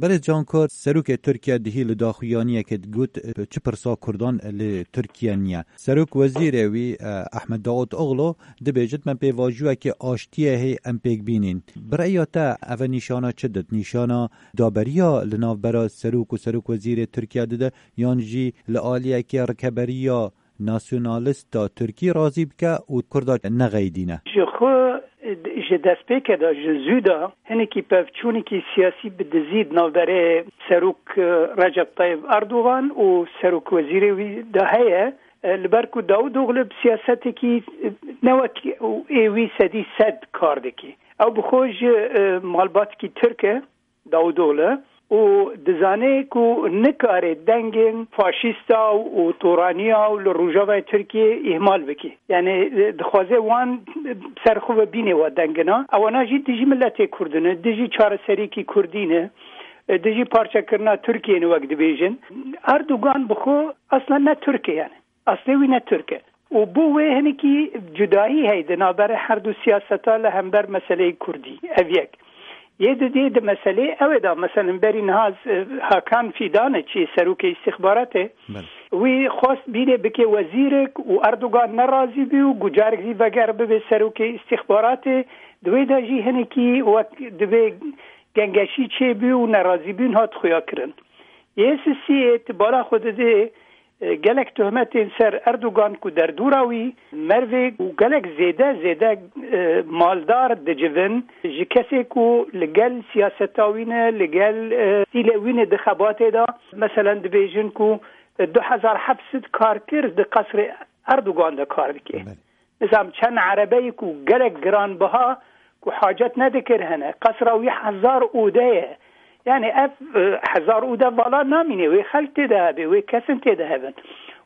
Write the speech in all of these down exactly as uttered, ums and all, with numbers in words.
Berê Can Kurt, serokê Tirkiye dihî li daxuyaniyekê digot, çi pirsa Kurdan li Tirkiye niye. Serok wezîrê wî, e, Ahmet Daud Oglu, dibêjit me pêvajoyekê aştiyê hê em pêk bînîn. Bi reya te eve nîşana çi dit? Nîşana daberiya li navbera serok û serok wezîrê Tirkiye dide, yan jî li aliyekê rikeberiya nasyonalista Tirkî razî bike û Kurda nexeyidîne? Ji xwe, ji destpêke de, ji zû de hinekî pevçûnekî siyasî bi dizî di navberê serok, e, Recep Tayyip Erdogan û serok wezîrê wî de heye. E, li ber ku Davutoglu bi siyasetekî, e, ne wek ê wî sedî sed kar dike. Ew bi xwe ji, e, malbatekî Tirk e, Davutoglu, û dizane ku nikare dengên faşîsta û toraniya û li Rojavayê Tirkiyê îhmal bike. Yani, e, dixwaze wan ser xwe ve bîne wa dengina. Ewana jî dijî miletê Kurd in, dijî çareseriyekî Kurdî ne, e, dijî parçekirina Tirkiyê ne wek dibêjin. Erdogan bi xwe aslen ne Tirk e yani. Aslê wî ne Tirk e. Û bo wê hinekî cudahî heye di navberê her du siyaseta li hember meseleyê Kurdî. Ev yek. Yê dudiyê di meseleyê ew ê de, meselen, berî niha, e, Hakan Fidan e, çi serokê îstîxbaratê, Belê. Wî xwest bînê bike wezîrek û Erdogan nerazî bû û gucarek zî veger bibe serokê îstîxbaratê. Di wê de jî hinekî wek divê gengeşî çêbû û nerazîbûn hat xuya kirin. Yê sisiyê ti bala xwe didê, e, gelek tohmetên ser Erdogan ku derdora wî mervê û gelek zêde, zêde, e, maldar dicivin ji kesê ku li gel siyaseta wî ne, li gel, e, stîlê wî ne di xebatê de. Meselen dibêjin ku, e, du hezar heft sed karkir di qesrê Erdogan de kar dike. Belê. Nizam çend erebeyî ku gelek giranbiha ku hacet nedikir hene. Qesra wî hezar ode ye. Yani ev, e, hezar ode vala namîne. Wê xelk tê de hebe, wê kesin tê de hebin.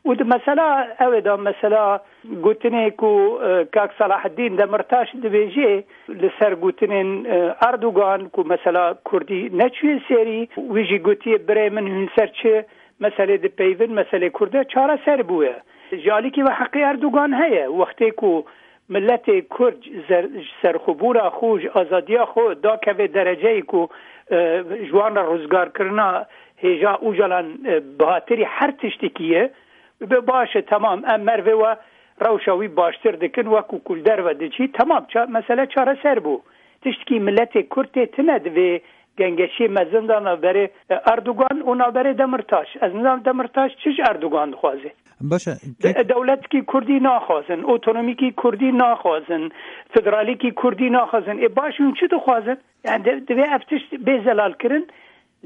Û di mesela ew ê de mesela gotinê ku, e, Kak Selahaddîn Demirtaş dibêje li ser gotinên, e, Erdogan ku mesela Kurdî neçûye serî, wî jî gotiye birê min hûn ser çi meselê dipeyvin, meselê Kurd e çareser bûye. Ji alîkî ve heqê Erdogan heye. Wextê ku miletê Kurd zer-, ji serxwebûna xwe, ji azadiya xwe dakeve dereceyê ku, e, ji wan re rizgarkirina hêja Ocalan, e, bihatirî her tiştekî ye, bibe baş e, temam, em mervê we rewşa wî baştir dikin, wekû ku li derve diçî, temam, ça-, mesele çareser bû. Tiştekî miletê Kurd tê tine divê gengeşiyê mezin de navberê, e, Erdogan û navberê Demirtaş. Ez nizanim Demirtaş çi ji Erdogan dixwaze. Baş e, De-, kek- dewletkî Kurdî naxwazin, otonomîkî Kurdî naxwazin, federalîkî Kurdî naxwazin. Ê baş hûn çi dixwazin? Yani de-, divê ev tişt bê zelalkirin,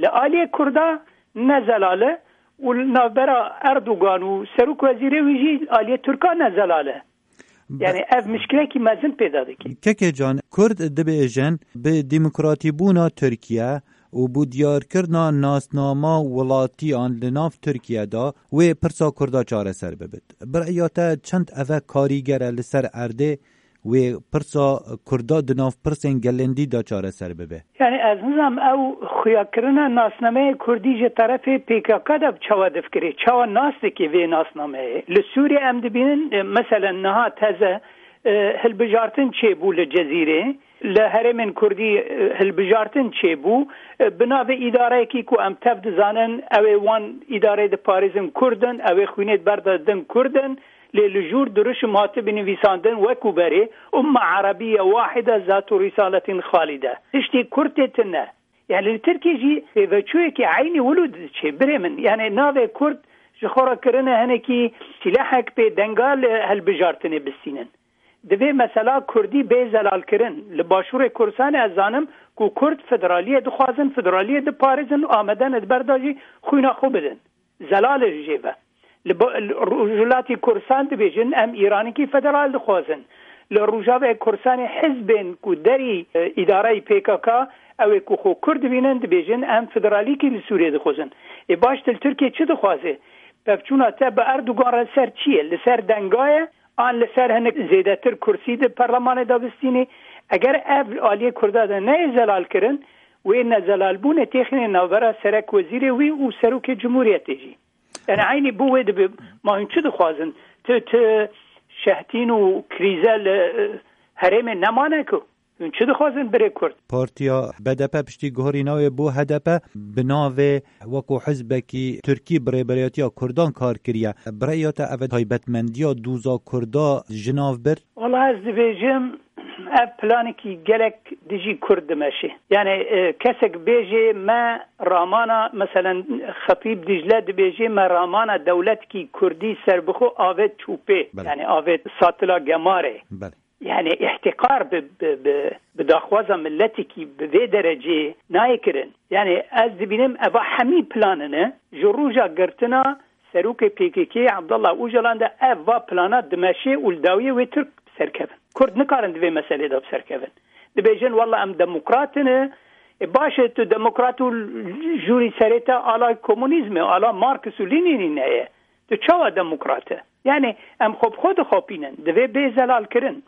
li aliyê Kurda ne zelal e û li navbera Erdogan û serok wezîrê wî jî aliyê Tirka ne zelal e. Be- Yani ev mişkilekî mezin pêda dike. Kekê Can, Kurd dibêjin bi demokratîbûna Tirkiye û bi diyarkirina nasnama welatiyan li nav Tirkiye de wê pirsa Kurda çareser bibit. Bi reya te çend eve karîger e li ser erdê wê pirsa Kurda di nav pirsên gelên dî de çareser bibe? Yani ez nizam ew xuyakirina nasnameyê Kurdî ji terefê P K K de çawa difikirê? Çawa nas dike vê nasnameyê? Li Sûriyê em dibînin, e, meselen niha teze, e, hilbijartin çêbû li Cezîrê. Li herêmên Kurdî, e, hilbijartin çêbû. E, bi navê îdareyekî ku em tev dizanin, ew ê wan îdareyê diparêzin Kurd in, ew ê xwînê di ber de din Kurd in. Lê li jûr dirûşim hatibî nivîsandin wekû berê, Umme Erebiye Wahide Zat û Risaletin Xalide. Tiştê Kurd tê tune. Yani li Tirkiyê jî pêveçûyekî eynî wilo diçe, birê min. Yani navê Kurd ji xwe re kirine hinekî sîlehek pê denga li hilbijartinê bistînin. Divê mesela Kurdî bê zelalkirin. Li Başûrê Kurdistanê ez zanim ku Kurd federaliyê dixwazin, federaliyê diparêzin û amade ne di ber de jî xwîna xwe bidin. Zelal e ji jê ve. Li ba-, li Rojhilatî Kurdistan dibêjin, em Îranekî federal dixwazin. Li Rojavayê Kurdistanê hizbên ku derî, e, îdareyî P K K, ew ê ku xwe Kurd dibînin, dibêjin, em federalîkî li Sûriyê dixwazin. Ê baş, tu li Tirkiyê çi dixwaze? Pevçûna te bi Erdogan re ser çi ye? Li ser denga ye? An li ser hinek zêdetir kursî di perlemanê de bistînî? Eger ev aliyê Kurda de neyê zelalkirin, wê nezelalbûnê têxîne navbera serek wezîrê wî û serokê cumhuriyetê jî. Yani eynî bo wê dibe, ma hûn çi dixwazin? Tu, tu şehtîn û krîze li, e, herêmê nemane ku? Hûn çi dixwazin birê Kurd? Partiya B D P piştî guherîna wê bo H D P bi navê wekû hizbekî Tirkî bi rêberiyatiya Kurdan kar kiriye. Bi rêya te ev taybetmendiya dûza Kurda ji nav bir? Wala ez dibêjim, ev planekî gelek dijî Kurd dimeşe. Yani, e, kesek bêjê me ramana, meselen, Xetîb Dicle dibêjê me ramana dewletkî Kurdî serbixwe avêt çûpê. Belê. Yani avêt satila gemarê. Belê. Yani îhtîqar bi, bi, bi, bi daxwaza miletekî bi vê derecê nayê kirin. Yani ez dibînim eva hemî planine ji roja girtina serokê P K K Abdullah Ocalan de ev va plana dimeşê û li dawiyê wê Tirk bi ser kevin. Kurd nikarin di vê meselê de bi ser kevin. Dibêjin, "Walla em demokrat in." E, baş e, tu demokrat û jûrî serê te ala komunîzmê, ala Marx û Lenînî neye. Tu çawa demokrat e? Yani em xwe bi xwe dixapînin. Divê bê zelalkirin.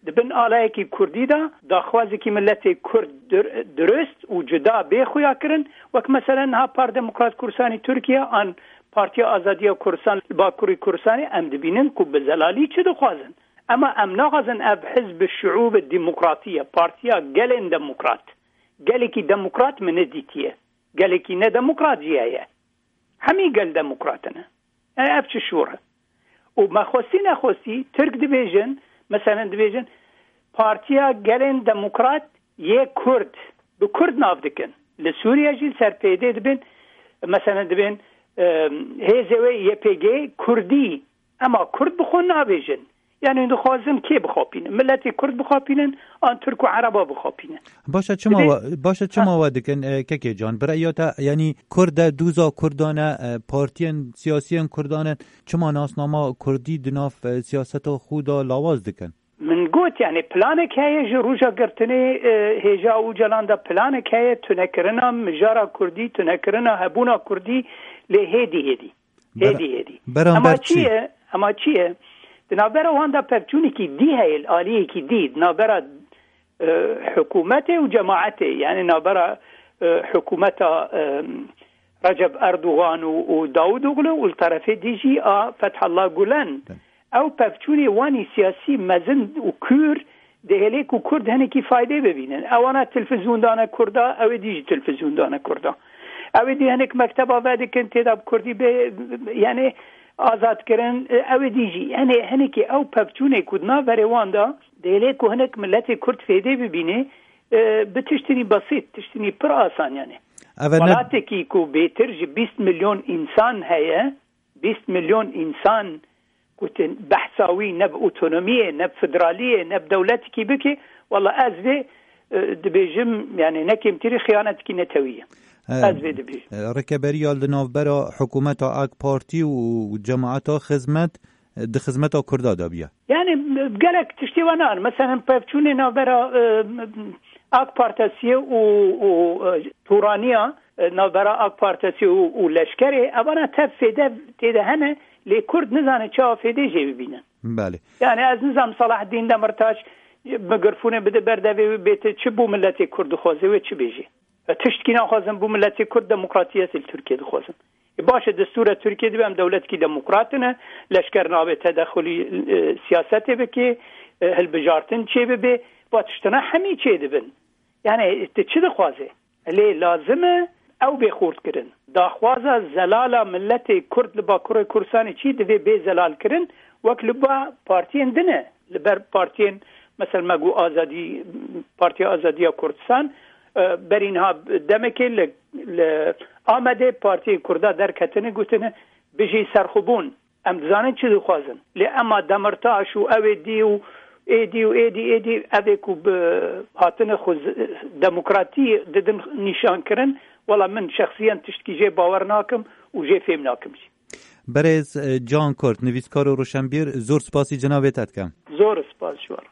Di bin alayekî Kurdî de daxwazekî miletê Kurd dur-, durust û cuda bê xuya kirin, wek meselen niha Par Demokrat Kurdistanê Tirkiye an Partiya Azadiya Kurdistan li Bakurê Kurdistanê, em dibînin ku bi zelalî çi dixwazin. Ema em naxwazin ev hizb şiûb demokratî ye, partiya gelên demokrat. Gelekî demokrat min nedîtiye. Gelekî nedemokrat jî heye. Hemî gel demokrat in. E, ev çi şûr e? Û me xwestî nexwestî, Tirk dibêjin, meselen dibêjin, Partiya Gelên Demokrat yê Kurd, bi Kurd nav dikin. Li Sûriye jî li ser P Y D dibin, meselen dibin, e, hêzê wê Y P G Kurdî, ema Kurd bi xwe nabêjin. Yani dixwazin kê bixapînin? Miletê Kurd bixapînin, an Tirk û Ereba bixapînin? Başe, çima Divê wa, başe, çima Ha. wa dikin, e, Kekê Can? Bi rêya te, yani Kurd e, dûza Kurdan e, e, partiyên siyasiyên Kurdan e, çima nasnama Kurdî di nav, e, siyaseta xwe de lawaz dikin? Min got, yani planek heye ji roja girtinê, e, hêja Ocalan de planek heye, tunekirina mijara Kurdî, tunekirina hebûna Kurdî lê hêdî hêdî. Hêdî hêdî. Beramber Ema çi? çi ye? Ema çi ye? Di navbera wan de pevçûnekî dî heye, li aliyekî dî. Di navbera, e, hikûmetê û cemaetê, yani navbera, e, hikûmeta, e, Recep Erdogan û, û Davutoglu û li terefê dî jî a Fethullah Gulen. Belê. Ew pevçûnê wanî siyasî mezin û kûr dihêlê ku Kurd hinekî faydê bibînin. Ewana televîzyon dane Kurda, ew ê dî jî televîzyon dane Kurda. Ew ê dî hinek mekteba vedikin, tê de bi Kurdî bê, yani azad kirin, ew ê dî jî. Yani hinekî ew pevçûnê ku di nav berê wan de dihêlê ku hinek miletê Kurd fêdê bibîne, e, bi tiştinî besît, tiştinî pir asan yani. Ev ne- Welatekî ku bêtir ji bîst milyon însan heye, bîst milyon însan gotin behsa wî ne bi otonomiyê, ne bi federaliyê, ne bi dewletekî bike, wala ez vê, e, dibêjim, yani ne kêmtirî xiyanetekî netewî ye. E, Ez vê dibêjim. e, Rêkeberiya li navbera hikûmeta AK Partî û cemaeta Xizmet, e, di xizmeta Kurda de bûye. Yani gelek tiştê we nan. Mesela pevçûnê navbera, e, AK Partisiye û, û, e, Turaniya, e, navbera AK Partisiye û, û leşkerê, evana tev fêde têde hene, lê Kurd nizane çawa fêdê jê bibînin. Belê. Yani ez nizam Selahaddin Demirtaş mikrofone bide berdevê wê bête çi bo miletê Kurd dixwaze wê çi bêjê. E, tiştkî naxwazin bo miletê Kurd demokratiyetê li Tirkiye dixwazin. E, baş e, destûra Tirkiye dibe em dewletkî demokrat in, leşker nabe tedexulî, e, siyasetê bike, e, hilbijartin çê bibe, va tiştina hemî çê dibin. Yani tu çi dixwaze? Lê lazim e ew bê xurt kirin. Daxwaza zelala miletê Kurd li Bakurê Kurdistanê çi divê bê zelal kirin, wek li ba partiyên din e. Li ber partiyên, mesela me got Azadî, Partiya Azadiya Kurdistan, e, berî niha demekê li, li Amedê partiyên Kurda derketine gotine, "Bijî serxwebûn." Em dizanin çi dixwazin. Lê ema Demirtaş û ew ê dî û ê dî û ê dî, ê dî, ev ê ku bi hatine xwe z-, demokratî didin nîşan kirin, wela min şexsiyen tiştkî jê bawer nakim û jê fêm nakim jî. Berêz, e, Can Kurt, nivîskar û roşenbîr, zor spasî cenabê te dikim. Zor spas ji we re.